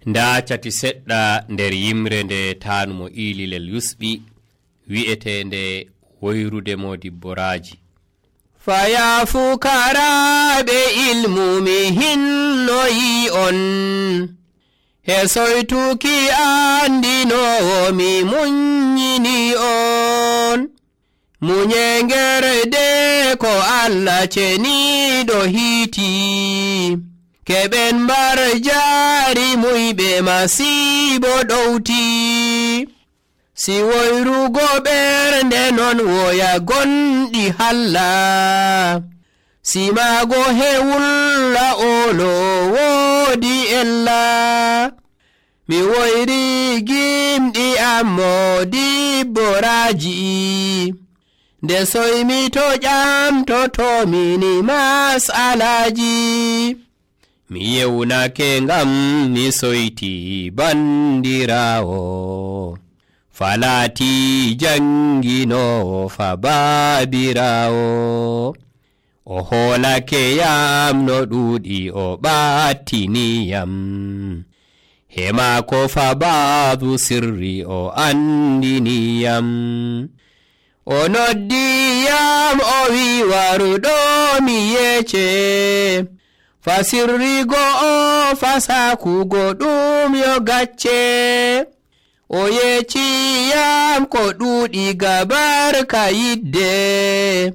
nda cati seɗɗa nder yimre nde tanumo ililel yusɓi wi'etende woyrude Modibbo Raji. Faya fukaraɓe ilmu mi hinnoyi on, hesoytuki andinowo mi munyini on. Munyengerde ko Allah ceniɗo hiti, keɓen mbar jari muyɓe masibo ɗowti. Si woyrugo ɓernde non woya gonɗi halla, simago hewulla olo woodi ella. Mi woyri gimɗi am Modibbo Raji, nde soymi to ƴamtotomini masalaji. Mi yewnake ngam mi soyti bandirawo, falati janginowo fa babirawo. O holake yam no ɗuɗi o ɓattiniyam, hemako fa babu sirri o andiniyam. O noddiyam o wi waruɗo mi yece, fa sirrigo o fa sakugo ɗum yo gacce. O yeciyam ko ɗuɗi gabarka yidde,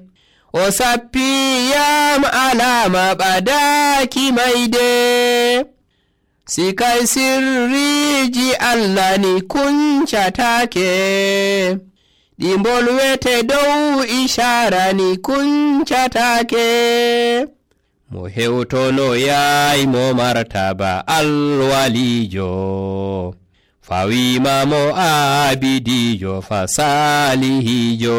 o sappiyam alama ɓadaki mayde. Sikay sirriji Allah ni kuncatake, ɗi mbolwete dow ishara ni kuncatake. Mo hewtono yaay mo martaba alwalijo, fawima mo abidijo fa salihijo.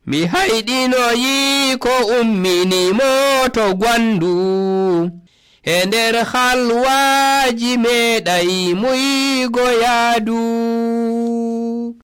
Mi hayɗinoyi ko ummini mo to gwandu, e nder halwaji meɗay muygo yaadu.